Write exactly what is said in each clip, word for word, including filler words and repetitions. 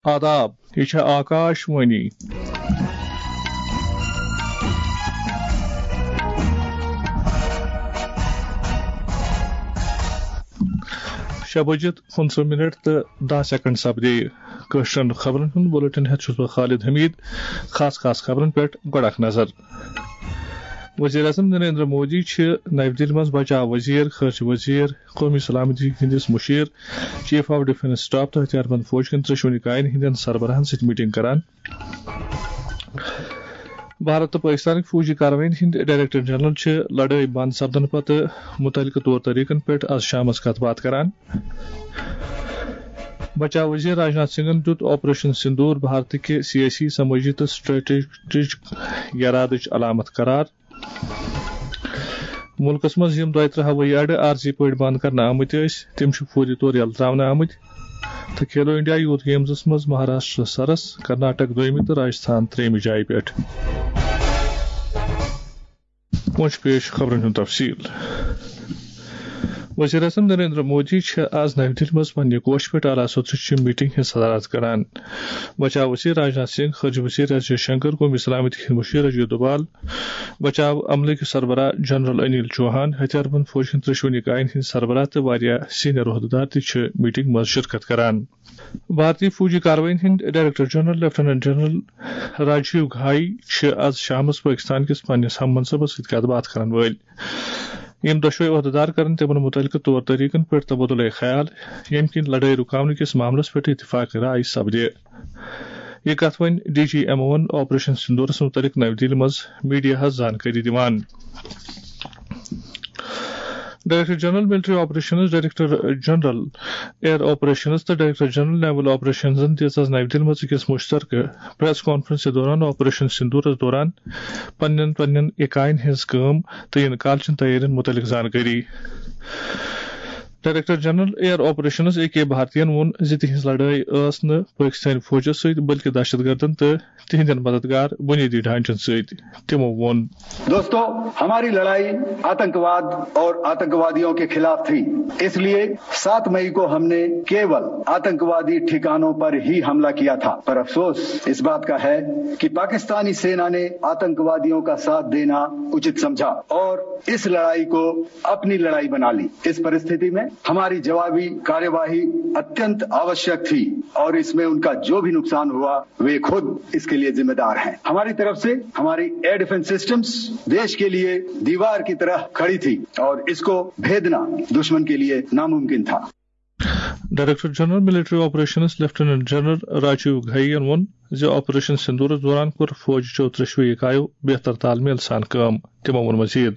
آداب، یہِ چھےٚ آکاش وانی۔ شےٚ بجِتھ پٕنٛژٕہ منٹ تہٕ دَہ سیکنڈ سپدے۔ کٲشرٮ۪ن خبرن ہُنٛد بُلٹن ہٮ۪تھ چھُس بہٕ خالد حمید۔ خاص خاص خبرن پٮ۪ٹھ گۄڈٕ اکھ نظر۔ وزیر اعظم نریندر مودی چھِ نَوِ دِلہِ منٛز بچاو وزیر، خارجہ وزیر، قومی سلامتی ہٕنٛدِس مشیر، چیف آف ڈیفنس سٹاف تہٕ ہتھیار بند فوج کٮ۪ن ترٛیٚشوٕنی کاین ہٕنٛدٮ۪ن سربراہن سۭتۍ میٹنگ کران۔ بھارت تہٕ پٲکِستانٕکۍ فوجی کاروٲیین ہٕنٛدۍ ڈائریکٹر جنرل چھِ لڑٲے بنٛد سپدنہٕ پتہٕ مُتعلقہٕ طور طریقن پٮ۪ٹھ از شامس کتھ باتھ کران۔ بچاو وزیر راجناتھ سنگھن دیُت آپریشن سندور بھارتٕکہِ سیٲسی، سمٲجی تہٕ اسٹریٹجک یرادٕچ علامت قرار۔ مُلکَس منٛز یِم دۄیہِ ترٕٛہ ہوٲیی اڈٕ عارضی پٲٹھۍ بنٛد کرنہٕ آمٕتۍ ٲسۍ، تِم چھِ فوری طور یلہٕ ترٛاونہٕ آمٕتۍ۔ تہٕ کھیلو انڈیا یوتھ گیمزَس منٛز مہاراشٹر سرس، کرناٹک دوٚیمہِ تہٕ راجستھان ترٛیٚیمہِ جایہِ پٮ۪ٹھ۔ وۄنۍ چھُ پیش خبرن ہُنٛد تفصیل۔ وزیر اعظم نریندر مودی چھِ آز نَوِ دِلہِ منٛز پننہِ کوٹھۍ پٮ۪ٹھ اعلیٰ سطحٕچہِ میٹنگ ہٕنٛز صدارت کران۔ بچاو وزیر راجناتھ سنگھ، خارجہ وزیر ایس جے شنکر، قومی سلامتی ہٕنٛدۍ مشیر اجے دوبال، بچاو عملٕکۍ سربراہ جنرل انیل چوہان، ہتھیار بند فوج ہٕنٛدۍ ترٛیٚشوٕنی کاین ہٕنٛدۍ سربراہ تہٕ واریاہ سینئر عہدٕدار تہِ چھِ میٹنگ منٛز شرکت کران۔ بھارتی فوجی کاروٲیین ہٕنٛدۍ director general lieutenant general Rajiv Ghai چھِ از شامس پٲکستان کِس پننِس ہم منصبس سۭتۍ کتھ باتھ کرن وٲلۍ۔ یِم دۄشوے عہدٕدار کرن تِمن مُتعلقہٕ طور طریقن پٮ۪ٹھ تبادلہ خیال، ییٚمہِ کِنۍ لڑٲے رُکاونہٕ کِس معاملس پٮ۪ٹھ اتفاق رائے سپدِ۔ یہِ کتھ وۄنۍ ڈی جی ایم اوَن آپریشن سندورس مُتعلق نَوِ دِلہِ منٛز میڈیاہَس زانکٲری دِوان۔ Director general military operations, director general air operations تہٕ ڈائریکٹر جنرل نیول آپریشنزن دِژ آز نَوِ دِلہِ منٛز أکِس مُشترکہٕ پریس کانفرنس دوران آپریشن سندورس دوران پننٮ۪ن پننٮ۪ن اکاین ہٕنٛز کٲم تہٕ یِنہٕ کالچٮ۪ن تیٲرین مُتعلق زانکٲری۔ Director general air operations A K بھارتین ووٚن زِ تِہنٛز لڑٲے ٲس نہٕ پٲکستٲنۍ فوجس سۭتۍ بلکہِ دہشت گردن تہٕ تِہنٛدٮ۪ن مددگار بنیٲدی ڈھانچن سۭتۍ۔ تِمو ووٚن۔ दोस्तों, हमारी लड़ाई आतंकवाद और आतंकवादियों के खिलाफ थी, इसलिए सात मई को हमने केवल आतंकवादी ठिकानों पर ही हमला किया था। पर अफसोस इस बात का है कि पाकिस्तानी सेना ने आतंकवादियों का साथ देना उचित समझा और इस लड़ाई को अपनी लड़ाई बना ली। इस परिस्थिति में हमारी जवाबी कार्यवाही अत्यंत आवश्यक थी और इसमें उनका जो भी नुकसान हुआ, वे खुद इसके लिए जिम्मेदार हैं। हमारी तरफ से हमारी एयर डिफेंस सिस्टम्स देश के लिए दीवार की तरह खड़ी थी और इसको भेदना दुश्मन के लिए नामुमकिन था। Director general military operations lieutenant general Rajiv Ghai ین ووٚن زِ آپریشن سندورس دوران کوٚر فوج چیو ترٛیٚشوٕے اکایو بہتر تال میل سان کٲم۔ تِمو ووٚن مزید۔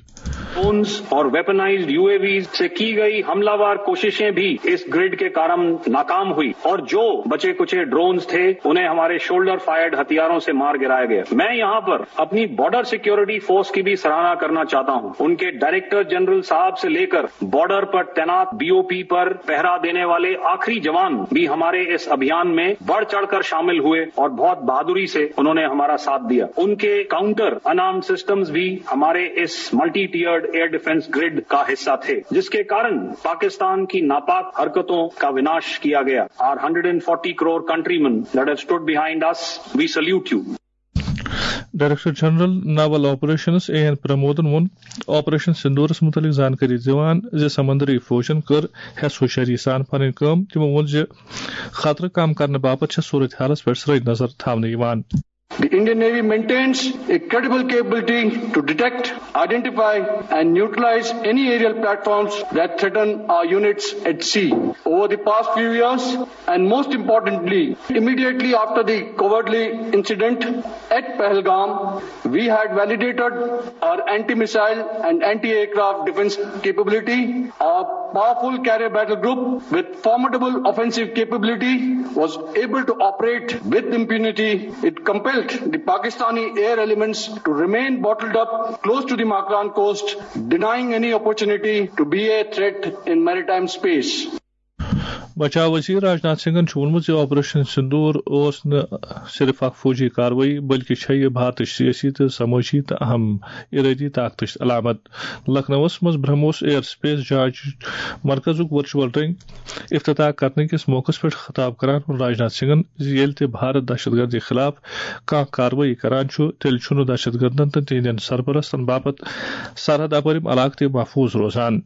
ڈرونز اور ویپنائزڈ یو اے ویز سے کی گئی حملہ وار کوششیں بھی اس گرڈ کے کارن ناکام ہوئی اور جو بچے کچے ڈرونز تھے انہیں ہمارے شولڈر فائرڈ ہتھیاروں سے مار گرایا گیا۔ میں یہاں پر اپنی بارڈر سیکیورٹی فورس کی بھی سراہنا کرنا چاہتا ہوں۔ ان کے ڈائریکٹر جنرل صاحب سے لے کر بارڈر پر تعینات بی او پی پر پہرا دینے والے آخری جوان بھی ہمارے اس ابھیان میں بڑھ چڑھ کر شامل ہوئے اور بہت بہادری سے انہوں نے ہمارا ساتھ دیا۔ ان کے کاؤنٹر انارم سسٹمز بھی ہمارے اس multi tiered air defence grid کا حصہ تھے، جس کے کارن پاکستان کی ناپاک حرکتوں کا وناش کیا گیا۔ Our hundred and forty crore countrymen that have stood behind us, we salute you. Director general naval operations A N پرمودن ووٚن آپریشن سندورس متعلق زانکٲری دِوان زِ سمندری فوجن کٔر ہٮ۪س ہوشیٲری سان پنٕنۍ کٲم۔ تِمو ووٚن زِ خطرٕ کم کرنہٕ باپتھ چھےٚ صورت حالس پٮ۪ٹھ سرٲے نظر تھاونہٕ یِوان۔ The Indian Navy maintains a credible capability to detect, identify and neutralize any aerial platforms that threaten our units at sea. Over the past few years, and most importantly, immediately after the cowardly incident at Pahalgam, we had validated our anti-missile and anti-aircraft defense capability. Our powerful carrier battle group with formidable offensive capability was able to operate with impunity. It compelled the Pakistani air elements to remain bottled up close to the Makran coast, denying any opportunity to be a threat in maritime space. بچاو وزیر راجناتھ سنگھن چھُ ووٚنمُت زِ operation sindoor اوس نہٕ صرف اکھ فوجی کاروٲیی، بلکہِ چھےٚ یہِ بھارتٕچ سیٲسی تہٕ سمٲجی تہٕ اہم ارٲدی طاقتٕچ علامت۔ لکھنؤَس منٛز برہموس ایئر سپیس جانچ مرکزُک ورچوئل رنگ افتتاح کرنہٕ کِس موقعس پٮ۪ٹھ خطاب کران ووٚن راجناتھ سنگھن زِ ییٚلہِ تہِ بھارت دہشت گردی خلاف کانٛہہ کاروٲیی کران چھُ، تیٚلہِ چھُنہٕ دہشت گردن تہٕ تِہنٛدٮ۪ن سرپرستن باپتھ سرحد اپٲرِم علاقہٕ تہِ محفوظ روزان۔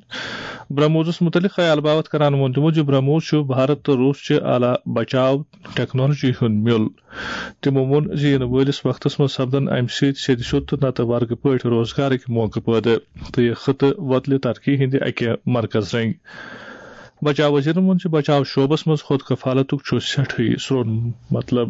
برہموسَس مُتعلِق خیال باوت کران ووٚن تِمو زِ برہموس چھُ بھارت تہٕ روس چہِ اعلیٰ بچاو ٹیکنالوجی ہُنٛد میُل۔ تِمو ووٚن زِ یِنہٕ وٲلِس وقتس منٛز سپدن امہِ سۭتۍ سیٚدِ سیوٚد تہٕ نتہٕ ورگہٕ پٲٹھۍ روزگارٕکۍ موقعہٕ پٲدٕ تہٕ یہِ خطہٕ وۄتلہِ ترقی ہٕنٛدِ اکہِ مرکز رنگۍ۔ بچاو وزیرن ووٚن زِ بچاو شعبس منٛز خود کفالتُک چھُ سٮ۪ٹھٕے سرٛون مطلب۔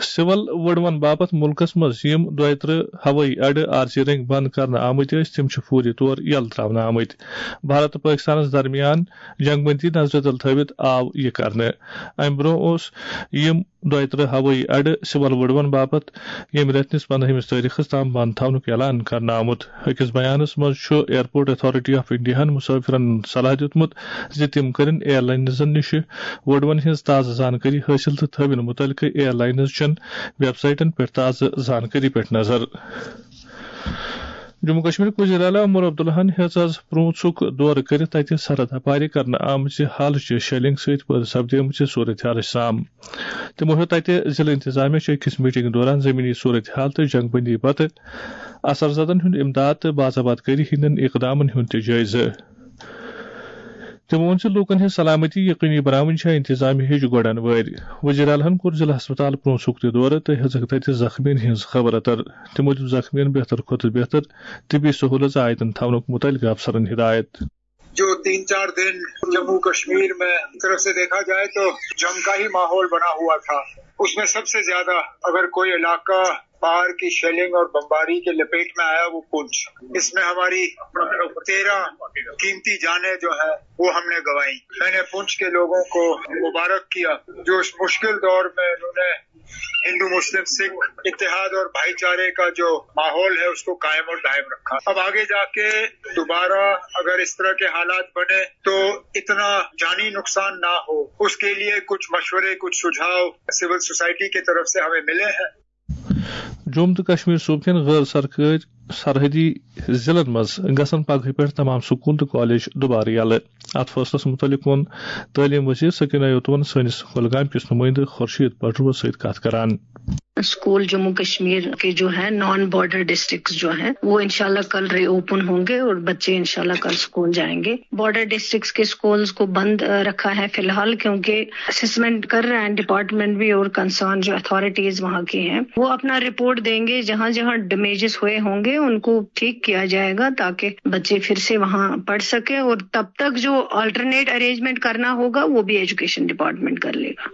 سول وڈوَن باپتھ مُلکَس منٛز یِم دۄیہِ ترٕٛہ ہوٲیی اڈٕ عارضی رٔنگۍ بند کرنہٕ آمٕتۍ ٲسۍ، تِم چھِ فوری طور یلہٕ ترٛاونہٕ آمٕتۍ۔ بھارت تہٕ پٲکِستانَس درمیان جنگ بندی نظرِ تل تھٲوِتھ آو یہِ کرنہٕ۔ اَمہِ برٛونٛہہ اوس یِم دۄیہِ ترٕٛہ ہوٲیی اڈٕ سول وڈوَن باپتھ ییٚمہِ رٮ۪تہٕ نِس پندہمِس تٲریخس تام بند تھاونُک اعلان کرنہٕ آمُت۔ أکِس بیانس منٛز چھُ ایئرپورٹ اتھارٹی آف انڈیاہَن مسافرن صلاح دیُتمُت زِ تِم کٔرِن ایئر لائنزن نِش وڈوَن ہٕنٛز تازٕ زانکٲری حٲصِل تہٕ تھٲوِن مُتعلقہٕ ایئر لائنز چٮ۪ن ویب سائٹن پٮ۪ٹھ تازٕ زانکٲری پٮ۪ٹھ نظر۔ جموں کشمیرٕکۍ وزیر اعلیٰ عمر عبداللہَن ہیٚژ آز پرونسُک دورٕ کٔرِتھ تَتہِ سرحد اپارِ کرنہٕ آمٕژِ حالٕچہِ شیلنگ سۭتۍ پٲدٕ سپدیمٕژِ صورتحالٕچ سام۔ تِمو ہیوٚت تَتہِ ضلعہٕ انتظامیہ چہِ أکِس میٹنگ دوران زمینی صورتحال تہٕ جنگ بندی پتہٕ اثر زدن ہُنٛد امداد تہٕ باضابطہ کٲری ہٕنٛدٮ۪ن اقدامن ہُنٛد تہِ جٲیزٕ۔ تِمو ووٚن زِ لوٗکن ہٕنٛز سلامتی یقینی بناوٕنۍ چھےٚ انتظامیہ ہٕچ گۄڈن وٲرۍ۔ وزیر اعلیٰ ہن کوٚر ضلع ہسپتال پرونسُک تہِ دورٕ تہٕ ہیٚژٕکھ تَتہِ زخمیَن ہٕنٛز خبر اتر۔ تِمو دیُت زخمیَن بہتر کھۄتہٕ بہتر طبی سہولت عائدن تھاونُک متعلقہٕ افسرن ہدایت۔ جو تین چار دن جموں کشمیر میں ایک طرف سے دیکھا جائے تو جنگ کا ہی ماحول بنا ہوا تھا، اس میں سب سے زیادہ اگر کوئی علاقہ باہر کی شیلنگ اور بمباری کے لپیٹ میں آیا، وہ پونچھ۔ اس میں ہماری تیرہ قیمتی جانیں جو ہیں، وہ ہم نے گنوائی۔ میں نے پونچھ کے لوگوں کو مبارک کیا، جو اس مشکل دور میں انہوں نے ہندو مسلم سکھ اتحاد اور بھائی چارے کا جو ماحول ہے، اس کو قائم اور دائم رکھا۔ اب آگے جا کے دوبارہ اگر اس طرح کے حالات بنے تو اتنا جانی نقصان نہ ہو، اس کے لیے کچھ مشورے، کچھ سجھاؤ سول سوسائٹی کی طرف سے ہمیں ملے ہیں۔ جوم تہٕ کشمیر صوبہٕ کٮ۪ن غٲر سرکٲرۍ سرحدی ضلعن منٛز گژھن پگہٕے پٮ۪ٹھ تمام سکوٗل تہٕ کالج دُبارٕ یلہٕ۔ اتھ فٲصلس مُتعلق ووٚن تعلیٖم وزیر سکینہ یوتون سٲنِس کۄلگامہِ کِس نُمٲیندٕ خورشید پٹروَس سۭتۍ کتھ کران۔ اسکول جموں کشمیر کے جو ہے نان بارڈر ڈسٹرکٹس جو ہیں، وہ انشاءاللہ کل ری اوپن ہوں گے اور بچے انشاءاللہ کل اسکول جائیں گے۔ بارڈر ڈسٹرکٹس کے اسکولز کو بند رکھا ہے فی الحال، کیونکہ اسسمنٹ کر رہے ہیں ڈپارٹمنٹ بھی اور کنسرن جو اتھارٹیز وہاں کی ہیں، وہ اپنا رپورٹ دیں گے۔ جہاں جہاں ڈیمیجز ہوئے ہوں گے، ان کو ٹھیک کیا جائے گا، تاکہ بچے پھر سے وہاں پڑھ سکیں اور تب تک جو آلٹرنیٹ ارینجمنٹ کرنا ہوگا، وہ بھی ایجوکیشن ڈپارٹمنٹ کر لے گا۔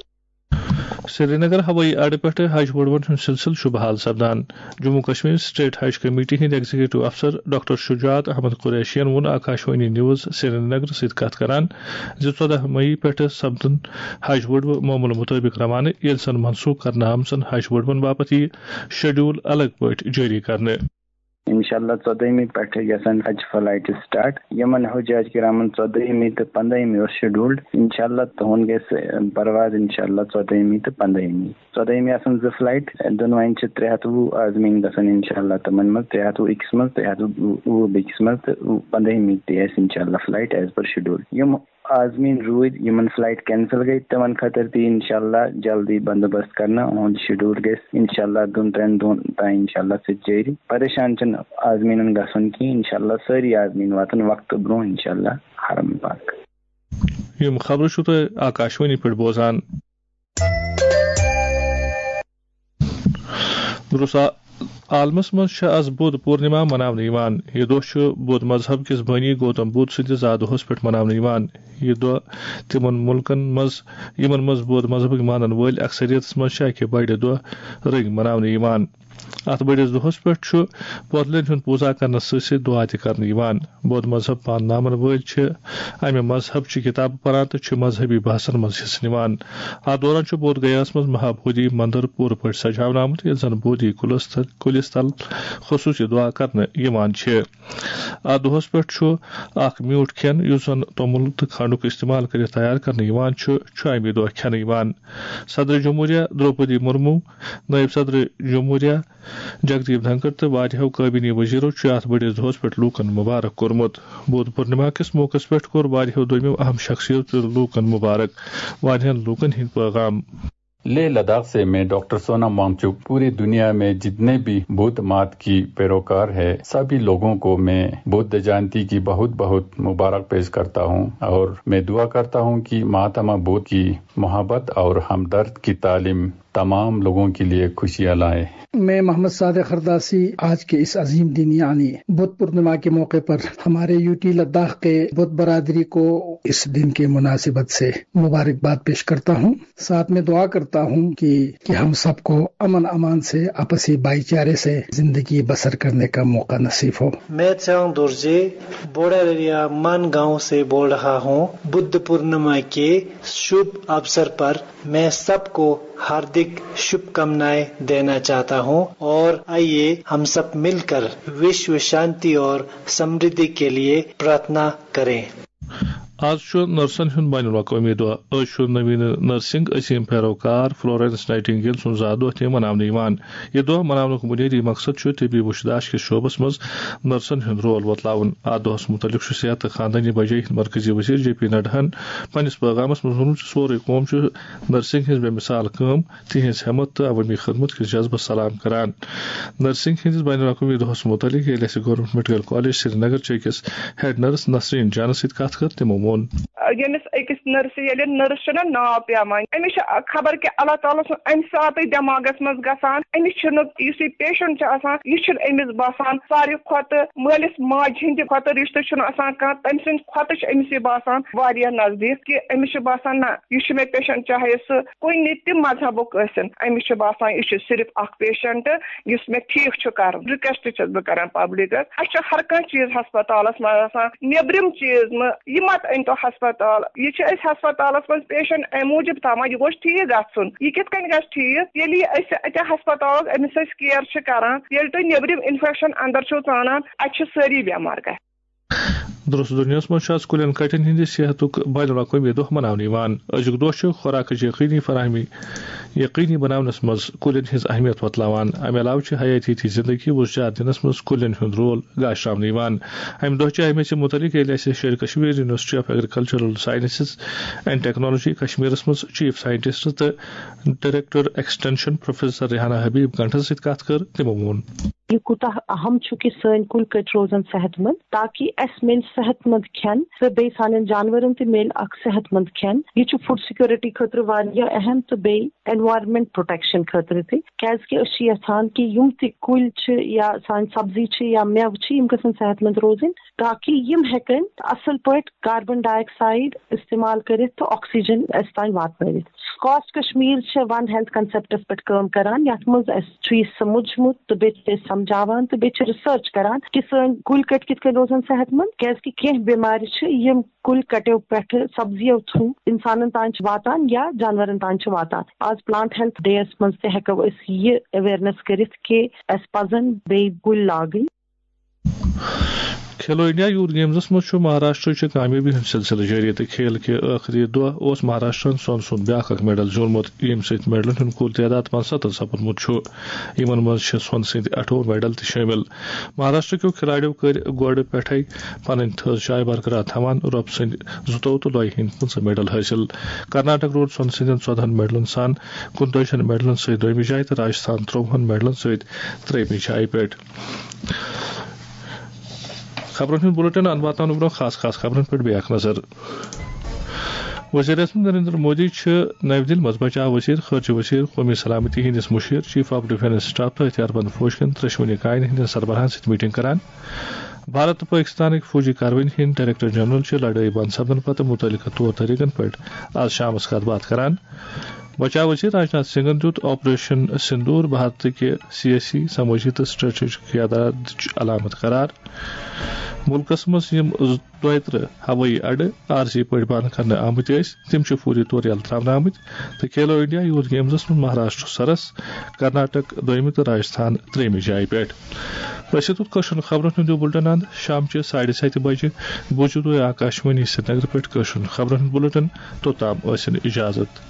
سرینگر ہوٲیی اڈٕ پٮ۪ٹھٕ حج وڈوَن ہُنٛد سلسلہٕ چھُ بحال سپدان۔ جموں کشمیر سٹیٹ حج کمیٹی ہٕنٛدۍ ایگزیکٹو افسر ڈاکٹر شجاعت احمد قریشین ووٚن آکاشوانی نیوز سرینگر سۭتۍ کتھ کران زِ ژۄدہ مئی پٮ۪ٹھٕ سپدن حج وڈوٕ معموٗلہٕ مُطٲبِق روانہٕ، ییٚلہِ زن منسوخ کرنہٕ آمژن حج وڈوَن باپتھ یِیہِ شیڈول الگ پٲٹھۍ جٲری کرنہٕ۔ انشاءاللہ ژۄدٲہمہِ پٮ۪ٹھٕ گژھن حج فلائٹ سٹارٹ۔ یِمن حجاج کرامن ژۄدٲہمہِ تہٕ پندٲہمہِ اوس شیڈولڈ۔ انشاءاللہ تُہُنٛد گژھِ پرواز انشاءاللہ ژۄدٲہمہِ تہٕ پندٲہمہِ۔ ژۄدٲہمہِ آسن زٕ فلائٹ، دۄنوَے چھِ ترٛےٚ ہَتھ وُہ عازمین گژھن انشاءاللہ تِمن منٛز، ترٛےٚ ہَتھ وُہ أکِس منٛز، ترٛےٚ ہَتھ وُہ بیٚکِس منٛز تہٕ پندٲہمہِ تہِ آسہِ انشاءاللہ فلائٹ as per schedule۔ یِم عازمین روٗدۍ، یِمن فلائٹ کینسل گٔے، تِمن خٲطرٕ تہِ انشاءاللہ جلدی بندوبست کرنہٕ۔ اُہُنٛد شیڈول گژھِ انشاءاللہ دۄن ترٛٮ۪ن دۄہن تام انشاءاللہ سۭتۍ جٲری۔ پریشان چھِنہٕ عازمیٖنن گژھُن کینٛہہ، انشاءاللہ سٲری عازمیٖن واتن وقتہٕ برونٛہہ انشاءاللہ حرم پاک۔ یِم خبرٕ چھِو تُہۍ آکاشوانی پٮ۪ٹھ بوزان۔ دُرُس آ-، عالمس منٛز چھِ آز بُدھ پورنما مناونہٕ یِوان۔ یہِ دۄہ چھُ بُدھ مذہب کِس بٲنی گوتم بُدھ سٕنٛدِس زا دۄہس پٮ۪ٹھ مناونہٕ یِوان۔ یہِ دۄہ تِمن مُلکن منٛز، یِمن منٛز بُدھ مذہبٕکۍ مانن وٲلۍ اکثریتس منٛز چھِ اکہِ بٔڑِ دۄہ رٔنگۍ مناونہٕ یِوان۔ اتھ بٔڑِس دۄہس پٮ۪ٹھ چھُ پۄتلٮ۪ن ہُنٛد پوٗزا کرنس سۭتۍ سۭتۍ دُعا تہِ کرنہٕ یِوان۔ بُدھ مذہب پانناون وٲلۍ چھِ امہِ مذہب چہِ کِتابہٕ پران تہٕ چھِ مذہبی بحثن منٛز حصہٕ نِوان۔ اتھ دوران چھُ بودھ گیاہس منٛز مہا بودھی مندر پوٗرٕ پٲٹھۍ سجاونہٕ آمُت، ییٚلہِ زن بودھی کُلس تہٕ کُلہِ تل خصوٗصی دُعا کرنہٕ یِوان چھِ۔ اَتھ دۄہَس پٮ۪ٹھ چھُ اکھ میوٗٹھ کھٮ۪ن، یُس زَن توٚمُل تہٕ کھنٛڈُک استعمال کٔرِتھ تیار کرنہٕ یِوان چھُ، چھُ اَمہِ دۄہ کھٮ۪نہٕ یِوان۔ صدر جمہوریہ درٛوپدی مرمو، نٲیِب صدر جمہوریہ جگدیپ دھنکر تہٕ واریاہو کابینی وزیرو چھُ اَتھ بٔڑِس دۄہَس پٮ۪ٹھ لوٗکَن مُبارک کوٚرمُت۔ بودھ پورنما کِس موقعس پٮ۪ٹھ کوٚر واریاہو دوٚیمو اہم شخصیتو تہِ لوٗکَن مُبارک۔ واریاہَن لوٗکَن ہٕنٛدۍ پٲغام۔ लेह लद्दाख से मैं डॉक्टर सोनम वांगचुक पूरी दुनिया में जितने भी बुद्ध मत की पैरोकार है, सभी लोगों को मैं बुद्ध जयंती की बहुत बहुत मुबारक पेश करता हूँ और मैं दुआ करता हूँ कि महात्मा बुद्ध की मोहब्बत और हमदर्द की तालीम तमाम लोगों के लिए खुशियाँ लाए। मैं मोहम्मद सादिक खरदासी आज के इस अजीम दिन यानी बुद्ध पूर्णिमा के मौके पर हमारे यूटी लद्दाख के बुद्ध बरादरी को इस दिन के मुनासिबत से मुबारकबाद पेश करता हूँ। साथ में दुआ करता हूँ कि कि हम सबको अमन अमान से, आपसी भाईचारे से जिंदगी बसर करने का मौका नसीब हो। मैं चांग दोर्जे बोडारिया मान गांव से बोल रहा हूँ। बुद्ध पूर्णिमा के शुभ अवसर पर मैं सबको हार्दिक शुभकामनाएं देना चाहता हूँ और आइए हम सब मिलकर विश्व शांति और समृद्धि के लिए प्रार्थना करें। آز چھُ نرسن ہُنٛد بین الاقوٲمی دۄہ۔ عٲشوٗر نویٖن نرسنگ عظیٖم پیروکار فلورینس نائٹنگیل سُنٛد زا دۄہ تہِ مناونہٕ یِوان۔ یہِ دۄہ مناونُک بُنیٲدی مقصد چھُ طبی وُچھ داش کِس شعبس منٛز نرسن ہُنٛد رول وۄتلاوُن۔ اَتھ دۄہس مُتعلق چھُ صحت تہٕ خاندٲنی بجٲیی ہٕنٛدۍ مرکزی وزیر جے پی نڈاہن پننِس پٲغامس منٛز ووٚنمُت زِ سورُے قوم چھُ نرسنگ ہٕنٛز بے مثال کٲم، تِہنٛز ہمت تہٕ عوٲمی خدمت کِس جذبس سلام کران۔ نرسنگ ہٕنٛدِس بین الاقوٲمی دۄہس مُتعلق ییٚلہِ اَسہِ گورنمنٹ میڈیکل کالج سرینگر چہِ أکِس ہیڈ نرس نسرین جانس سۭتۍ کتھ کٔر، تِمو ووٚن۔ ییٚمِس أکِس نٔرسہِ ییٚلہِ نٔرس چھُنہ ناو پیوان، أمِس چھُ خبر کہِ اللہ تعالیٰ سُنٛد اَمہِ ساتہٕ دٮ۪ماغس منٛز گژھان، أمِس چھُنہٕ، یُس یہِ پیشنٹ چھُ آسان، یہِ چھُنہٕ أمِس باسان ساروی کھۄتہٕ مٲلِس ماجہِ ہِنٛدِ کھۄتہٕ رِشتہٕ چھُنہٕ آسان کانٛہہ، تٔمۍ سٕنٛدِ کھۄتہٕ چھُ أمِس یہِ باسان واریاہ نزدیٖک، کہِ أمِس چھُ باسان نہ، یہِ چھُ مےٚ پیشنٹ، چاہے سُہ کُنہِ تہِ مذہبُک ٲسِن، أمِس چھُ باسان یہِ چھُ صرف اکھ پیشنٹ، یُس مےٚ ٹھیٖک چھُ کرُن۔ رِکویسٹ چھَس بہٕ کران پبلکس، اَسہِ چھُ ہر کانٛہہ چیٖز ہسپتالس منٛز آسان، نیٚبرِم چیٖز مہٕ، یہِ مت أنۍ تو ہسپتال۔ یہِ چھِ أسۍ ہسپتالس منٛز پیشنٹ اَمہِ موٗجوٗب تھاوان، یہِ گوٚژھ ٹھیٖک گژھُن۔ یہِ کِتھ کٔنۍ گژھِ ٹھیٖک؟ ییٚلہِ یہِ أسۍ اَتہِ ہسپتالس أمِس أسۍ کیر چھِ کران، ییٚلہِ تُہۍ نیٚبرِم انفیکشن اندر چھِو ژانان، اَتہِ چھِ سٲری بٮ۪مار گژھان۔ درست دنیاہس منٛز چھُ آز کُلٮ۪ن کٹٮ۪ن ہٕنٛدِ صحتُک بین الاقوٲمی دۄہ مناونہٕ یِوان۔ أزیُک دۄہ چھُ خوراکٕچ یقینی فراہمی یقینی بناونس منٛز کُلٮ۪ن ہٕنٛز اہمیت وۄتلاوان۔ امہِ علاوٕ چھِ حیٲتیٲتی زندگی وُزجار دِنس منٛز کُلٮ۪ن ہُنٛد رول گاشراونہٕ یِوان۔ امہِ دۄہ چہِ اہمیت مُتعلق ییٚلہِ اَسہِ Sheri Kashmir university of agricultural sciences and technology کشمیرس منٛز چیف سائنٹسٹ تہٕ director extension professor Rehana Habib گنٹھس سۭتۍ کتھ کٔر، تِمو ووٚن۔ یہِ کوٗتاہ اہم چھُ کہِ سٲنۍ کُلۍ کٔٹۍ روزن صحت مند، تاکہِ اَسہِ میلہِ صحت مند کھٮ۪ن تہٕ بیٚیہِ سانٮ۪ن جانورن تہِ میلہِ اکھ صحت مند کھٮ۪ن۔ یہِ چھُ فوڈ سیکیورٹی خٲطرٕ واریاہ اہم تہٕ بیٚیہِ انوائرمنٹ پروٹیکشن خٲطرٕ تہِ، کیازِ کہِ أسۍ چھِ یژھان کہِ یِم تہِ کُلۍ چھِ یا سانہِ سبزی چھِ یا مٮ۪وٕ چھِ، یِم گژھن صحت مند روزٕنۍ، تاکہِ یِم ہٮ۪کن اصل پٲٹھۍ کاربن ڈائی آکسائیڈ استعمال کٔرِتھ تہٕ آکسیجن اَسہِ تام واتنٲوِتھ۔ کاسٹ کشمیر چھِ ون ہیلتھ کنسپٹس پٮ۪ٹھ کٲم کران، یتھ منٛز اَسہِ چھُ یہِ سمجھمُت تہٕ بیٚیہِ چھِ أسۍ سمجھاوان تہٕ بیٚیہِ چھِ ریسرچ کران کہِ سٲنۍ کُلۍ کٔٹۍ کِتھ کٔنۍ روزن صحت مند، کیازِ کہِ کینٛہہ بٮ۪مارِ چھِ یِم کُلۍ کٹیو پٮ۪ٹھٕ سبزیو تھرو انسانن تام چھِ واتان یا جانورن تام چھِ واتان۔ آز پلانٹ ہیلتھ ڈے یس منٛز تہِ ہٮ۪کو أسۍ یہِ اویئرنیس کٔرِتھ کہِ اَسہِ پزن بیٚیہِ کُلۍ لاگٕنۍ۔ کھیلو انڈیا یوتھ گیمزس منٛز چھُ مہاراشٹرٕچہِ کامیٲبی ہُنٛد سلسلہٕ جٲری تہٕ کھیل کہِ ٲخری دۄہ اوس مہاراشٹرن سۄن سُنٛد بیٛاکھ اکھ میڈل زیوٗنمُت، ییٚمہِ سۭتۍ میڈلن ہُنٛد کُل تعداد پانٛژستتھ سپُدمُت چھُ۔ یِمن منٛز چھِ سۄن سٕنٛدۍ اَٹھووُہ میڈل تہِ شٲمِل۔ مہاراشٹر کیو کھلاڑیو کٔرۍ گۄڈٕ پٮ۪ٹھے پنٕنۍ تھٔز جاے برقرار تھاوان رۄب سٕنٛدۍ زٕتووُہ تہٕ لۄیہِ ہٕنٛدۍ پٕنٛژٕہ میڈل حٲصِل۔ کرناٹک روٗد سۄن سٕنٛدٮ۪ن ژۄدہن میڈلن سان کُنتٲجِہن میڈلن سۭتۍ دوٚیمہِ جایہِ تہٕ راجستھان ترٛۆوُہن میڈلن سۭتۍ ترٛیٚیمہِ جایہِ پٮ۪ٹھ۔ خبرن ہُنٛد بُلٹن اَنہٕ واتناونہٕ برٛونٛہہ خاص خاص خبرن پٮ۪ٹھ بیٚیہِ اکھ نظر۔ وزیر اعظم نریندر مودی چھُ نَوِ دِلہِ منٛز بچاو وزیر، خارجہ وزیر، قومی سلامتی ہٕنٛدِس مُشیر، چیف آف ڈیفنس اسٹاف تہٕ ہتھیار بند فوج کٮ۪ن ترٛٮ۪شوٕنی کاین ہٕنٛدٮ۪ن سربراہن سۭتۍ میٹنگ کران۔ بھارت تہٕ پٲکستانٕکۍ فوجی کاروٲیی ہٕنٛدۍ ڈائریکٹر جنرل چھِ لڑٲے بند سپدنہٕ پتہٕ مُتعلقہٕ طور طریقن پٮ۪ٹھ آز شامس کتھ باتھ کران۔ بچاو وزیر راجناتھ سنگھن دیُت آپریشن سندور بھارتٕکہِ سیٲسی، سمٲجی تہٕ سٹریٹجک قیادتٕچ علامت قرار۔ مُلکس منٛز یِم دۄیہِ ترٕہ ہوٲیی اڈٕ عارضی پٲٹھۍ بنٛد کرنہٕ آمٕتۍ ٲسۍ، تِم چھِ فوری طور یلہٕ ترٛاونہٕ آمٕتۍ تہٕ کھیلو انڈیا یوٗتھ گیمزس منٛز مہاراشٹر سرس، کرناٹک دوٚیمہِ تہٕ راجستھان ترٛیٚیمہِ جایہِ پٮ۪ٹھ۔ أسۍ ہیٚتو کٲشرٮ۪ن خبرن ہُنٛد یہِ بُلٹن اند شام چہِ ساڑِ ستہِ بجہِ۔ بوٗزِو تُہۍ آکاشوانی سرینگر پٮ۪ٹھ کٲشرٮ۪ن خبرن ہُنٛد بُلٹن۔ توٚتام ٲسِن اجازت۔